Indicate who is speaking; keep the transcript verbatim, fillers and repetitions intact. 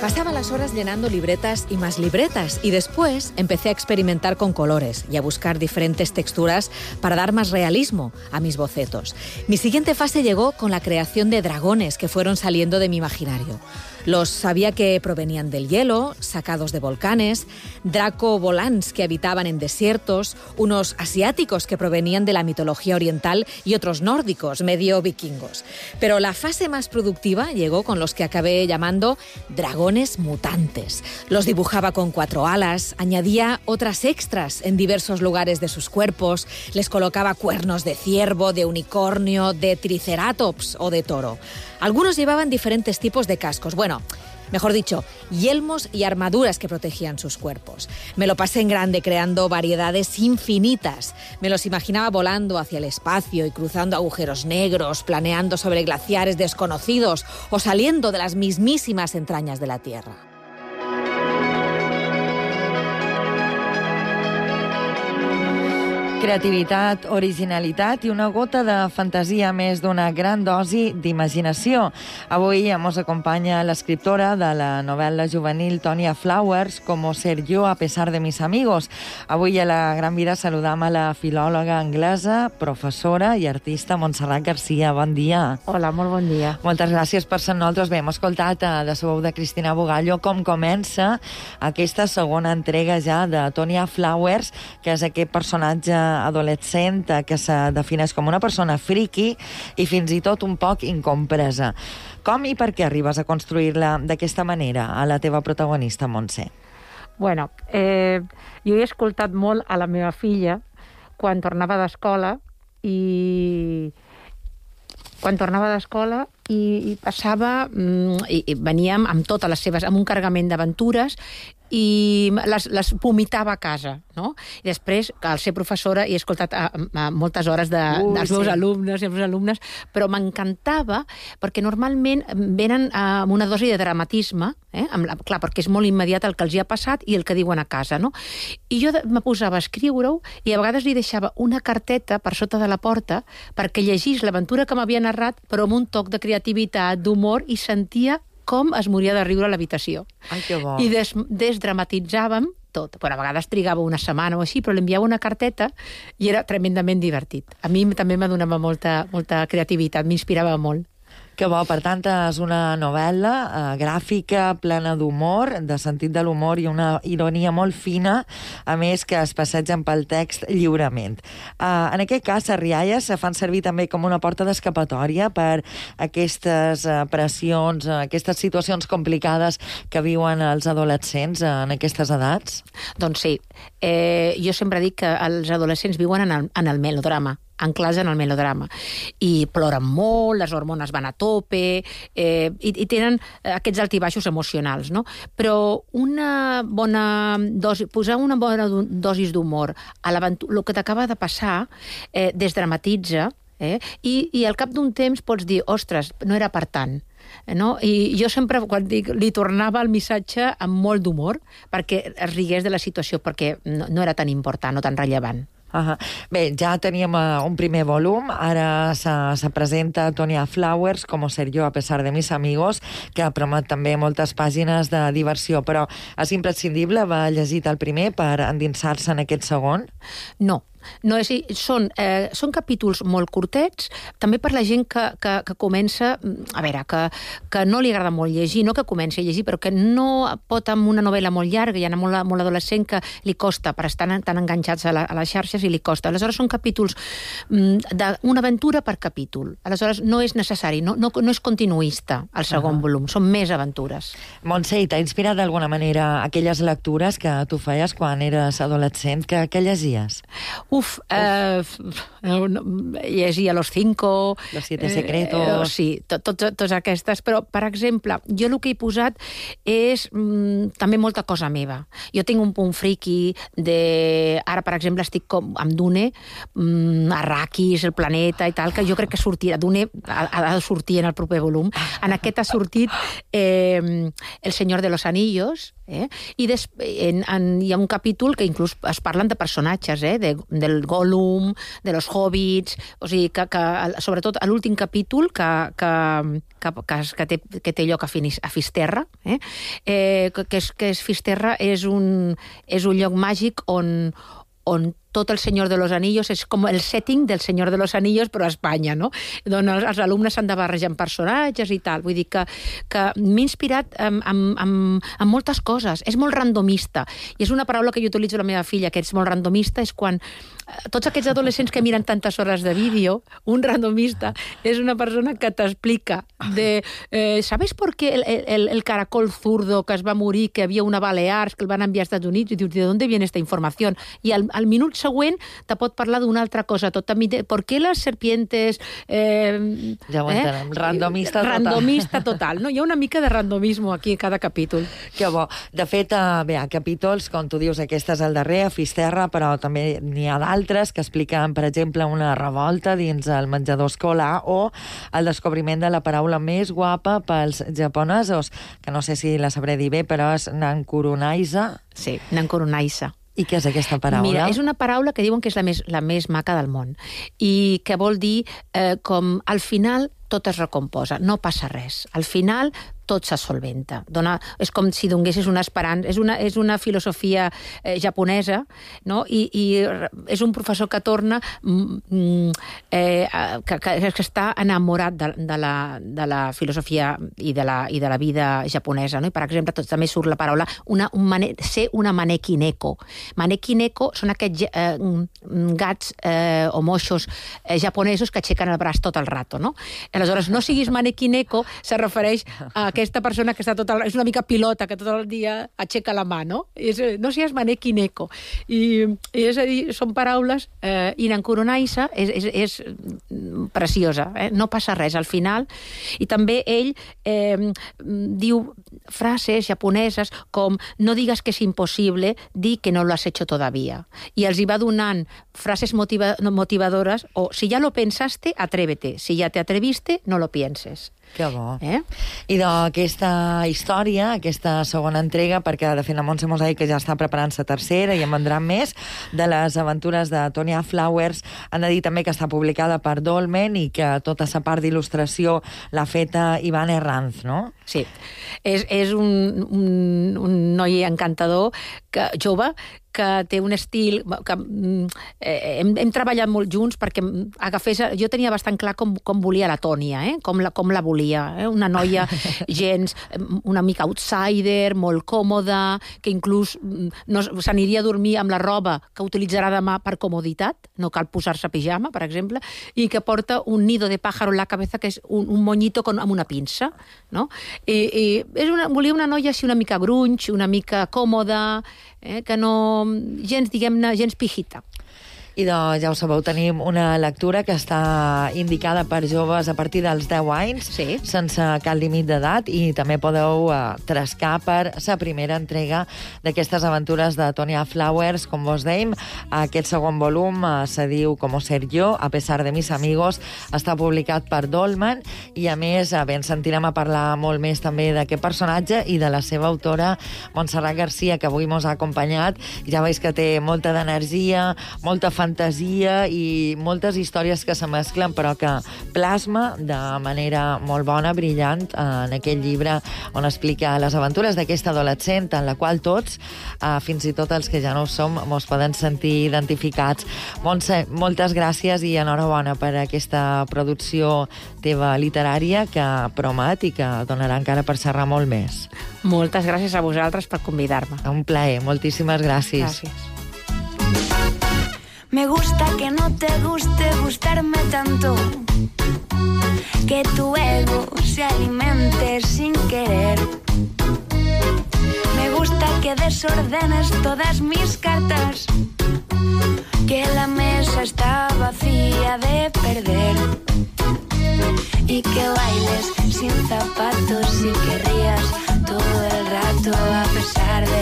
Speaker 1: Pasaba las horas llenando libretas y más libretas y después empecé a experimentar con colores y a buscar diferentes texturas para dar más realismo a mis bocetos. Mi siguiente fase llegó con la creación de dragones que fueron saliendo de mi imaginario. Los sabía que provenían del hielo, sacados de volcanes, dracovolans que habitaban en desiertos, unos asiáticos que provenían de la mitología oriental y otros nórdicos, medio vikingos. Pero la fase más productiva llegó con los que acabé llamando dragones mutantes. Los dibujaba con cuatro alas, añadía otras extras en diversos lugares de sus cuerpos, les colocaba cuernos de ciervo, de unicornio, de triceratops o de toro. Algunos llevaban diferentes tipos de cascos. Bueno, mejor dicho, yelmos y armaduras que protegían sus cuerpos. Me lo pasé en grande creando variedades infinitas. Me los imaginaba volando hacia el espacio y cruzando agujeros negros, planeando sobre glaciares desconocidos o saliendo de las mismísimas entrañas de la Tierra.
Speaker 2: Creativitat, originalitat i una gota de fantasia més d'una gran dosi d'imaginació. Avui ens acompanya l'escriptora de la novel·la juvenil Tonya Flowers, Como ser yo a pesar de mis amigos. Avui a la Gran Vida saludam a la filòloga anglesa, professora i artista Montserrat Garcia. Bon dia.
Speaker 3: Hola, molt bon dia.
Speaker 2: Moltes gràcies per ser nosaltres. Bé, hem escoltat de la veu de Cristina Bugallo com comença aquesta segona entrega ja de Tonya Flowers, que és aquest personatge adolescent que se defineix com una persona friki i fins i tot un poc incompresa. Com i per què arribes a construir-la d'aquesta manera, a la teva protagonista, Montse?
Speaker 3: Bueno, eh, jo he escoltat molt a la meva filla quan tornava d'escola i quan tornava d'escola i, i passava i, i veníem amb totes les seves, amb un carregament d'aventures i les, les vomitava a casa, no? I després, al ser professora, he escoltat a, a moltes hores de, uh, dels meus sí. alumnes i els meus alumnes, però m'encantava perquè normalment venen amb una dosi de dramatisme, eh? Amb la, clar, perquè és molt immediat el que els hi ha passat i el que diuen a casa, no? I jo me posava a escriure-ho i a vegades li deixava una carteta per sota de la porta perquè llegís l'aventura que m'havia narrat, però amb un toc de creativitat, d'humor, i sentia com es moria de riure a l'habitació.
Speaker 2: Ai, que bo.
Speaker 3: I des, desdramatitzàvem tot. Bueno, a vegades trigava una setmana o així, però li enviava una carteta i era tremendament divertit. A mi també me donava molta, molta creativitat, m'inspirava molt.
Speaker 2: Que bo, per tant, és una novel·la eh, gràfica, plena d'humor, de sentit de l'humor i una ironia molt fina, a més que es passegen pel text lliurement. Eh, en aquest cas, les rialles se fan servir també com una porta d'escapatòria per aquestes eh, pressions, eh, aquestes situacions complicades que viuen els adolescents eh, en aquestes edats?
Speaker 3: Doncs sí. Eh, jo sempre dic que els adolescents viuen en el, en el melodrama, anclats en el melodrama, i ploren molt, les hormones van a tope, eh, i, i tenen aquests altibaixos emocionals, no? Però una bona dosi, posar una bona dosis d'humor a l'aventura, el que t'acaba de passar, eh, desdramatitza, eh, i, i al cap d'un temps pots dir, ostres, no era per tant. No? I jo sempre, quan dic, li tornava el missatge amb molt d'humor perquè es rigués de la situació, perquè no, no era tan important o tan rellevant.
Speaker 2: Uh-huh. Bé, ja teníem uh, un primer volum, ara se, se presenta Tonya Flowers, Como ser yo a pesar de mis amigos, que promet també moltes pàgines de diversió, però és imprescindible haver llegit el primer per endinsar-se en aquest segon?
Speaker 3: No. No, és, són, eh, són capítols molt curtets, també per la gent que, que, que comença, a veure, que, que no li agrada molt llegir, no que comenci a llegir, però que no pot amb una novel·la molt llarga, hi ha molt, molt adolescent que li costa, per estar tan enganxats a, la, a les xarxes i li costa. Aleshores són capítols d'una aventura per capítol. Aleshores no és necessari, no, no, no és continuista el segon uh-huh. volum, són més aventures.
Speaker 2: Montse, t'ha inspirat d'alguna manera aquelles lectures que tu feies quan eres adolescent? Que, que llegies?
Speaker 3: Uf, eh, llegia Los Cinco...
Speaker 2: Los Siete Secretos...
Speaker 3: Eh, sí, totes tot, aquestes, però, per exemple, jo el que he posat és mm, també molta cosa meva. Jo tinc un punt friki de... Ara, per exemple, estic com amb Dune, mm, Arrakis, el planeta i tal, que jo crec que sortirà. Dune ha, ha de sortir en el proper volum. En aquest ha sortit eh, El Señor de los Anillos, eh? I des, en, en, hi ha un capítol que inclús es parlen de personatges, eh? de, del Gollum, de los Hobbits, o sigui, que, que sobretot a l'últim capítol, que, que, que, que, que, té, que té lloc a, Finis, a Fisterra, eh? Eh, que, és, que és Fisterra és un, és un lloc màgic on, on tot el Senyor de los Anillos és com el setting del Senyor de los Anillos, però a Espanya, no? Doncs els, els alumnes s'han de barrejar amb personatges i tal. Vull dir que, que m'he inspirat en, en, en, en moltes coses. És molt randomista. I és una paraula que jo utilitzo a la meva filla, que és molt randomista, és quan tots aquests adolescents que miren tantes hores de vídeo, un randomista és una persona que t'explica de... Eh, ¿sabes por qué el, el, el caracol zurdo que es va morir, que havia una Balears, que el van enviar als Estats Units, i dius, ¿de dónde viene esta información? I al, al minut següent te pot parlar d'una altra cosa. Tot, ¿por qué las serpientes... Eh,
Speaker 2: ja ho entenem, eh? randomista total.
Speaker 3: Randomista total, no? Hi ha una mica de randomisme aquí a cada capítol.
Speaker 2: Que bo. De fet, bé, a capítols, com tu dius, aquest és el darrer, a Fisterra, però també n'hi ha d'altres que expliquen, per exemple, una revolta dins el menjador escolar o el descobriment de la paraula més guapa pels japonesos, que no sé si la sabré dir bé, però és Nankurunaisa.
Speaker 3: Sí, Nankurunaisa.
Speaker 2: I què és aquesta paraula?
Speaker 3: Mira, és una paraula que diuen que és la més, la més maca del món i que vol dir eh, com al final tot es recomposa, no passa res. Al final tot se solventa. Dona, és com si donessis una esperança. És una, és una filosofia eh, japonesa, no? I, i és un professor que torna mm, eh, que, que, que està enamorat de, de, la, de la filosofia i de la, i de la vida japonesa. No? I, per exemple, tot, també surt la paraula una, un mane, ser una maneki neko. Maneki neko són aquests eh, gats eh, o moixos eh, japonesos que aixequen el braç tot el rato. No? Aleshores, no siguis maneki neko se refereix a aquesta persona que està tot el, és una mica pilota, que tot el dia aixeca la mà, no? És, no siguis maneki neko. I, i és a dir, són paraules, eh, i Nankurunaisa és, és, és preciosa, eh? No passa res al final. I també ell eh, diu frases japoneses com no digues que és impossible, di que no lo has hecho todavía. I els hi va donant frases motiva, motivadores o si ya lo pensaste, atrévete. Si ya te atreviste, no lo pienses.
Speaker 2: Que bo.
Speaker 3: Eh?
Speaker 2: I d'aquesta història, aquesta segona entrega, perquè de fet la Montse mos ha dit que ja està preparant la tercera i en vendran més, de les aventures de Tonya Flowers, han de dir també que està publicada per Dolmen i que tota la part d'il·lustració l'ha feta Ivan Herranz, no?
Speaker 3: Sí. És, és un, un, un noi encantador, que, jove, que té un estil que eh, hem, hem treballat molt junts perquè agafés, jo tenia bastant clar com, com volia la Tònia, eh? com, la, com la volia, eh? Una noia gens, una mica outsider, molt còmoda, que inclús no, s'aniria a dormir amb la roba que utilitzarà demà per comoditat, no cal posar-se pijama, per exemple, i que porta un nido de pájaro en la cabeza, que és un, un moñito con, amb una pinça, no? I, i és una, volia una noia així una mica grunge, una mica còmoda, eh? Que no gens, diguem-ne, gens pijita.
Speaker 2: I doncs, ja ho sabeu, tenim una lectura que està indicada per joves a partir dels deu anys,
Speaker 3: sí,
Speaker 2: sense cap límit d'edat, i també podeu uh, trascar per la primera entrega d'aquestes aventures de Tonya Flowers, com vos dèiem. Aquest segon volum uh, se diu Como ser yo, a pesar de mis amigos, està publicat per Dolmen, i a més, uh, bé, ens sentirem a parlar molt més també d'aquest personatge i de la seva autora, Montserrat Garcia, que avui mos ha acompanyat. Ja veus que té molta d'energia, molta fantasia i moltes històries que se mesclen, però que plasma de manera molt bona, brillant, en aquest llibre on explica les aventures d'aquesta adolescent en la qual tots, eh, fins i tot els que ja no ho som, mos poden sentir identificats. Montse, moltes gràcies i enhorabona per aquesta producció teva literària que promet i que donarà encara per xerrar molt més.
Speaker 3: Moltes gràcies a vosaltres per convidar-me.
Speaker 2: Un plaer, moltíssimes gràcies.
Speaker 3: Gràcies.
Speaker 4: Me gusta que no te guste gustarme tanto, que tu ego se alimente sin querer. Me gusta que desordenes todas mis cartas, que la mesa está vacía de perder, y que bailes sin zapatos y que rías todo el rato a pesar de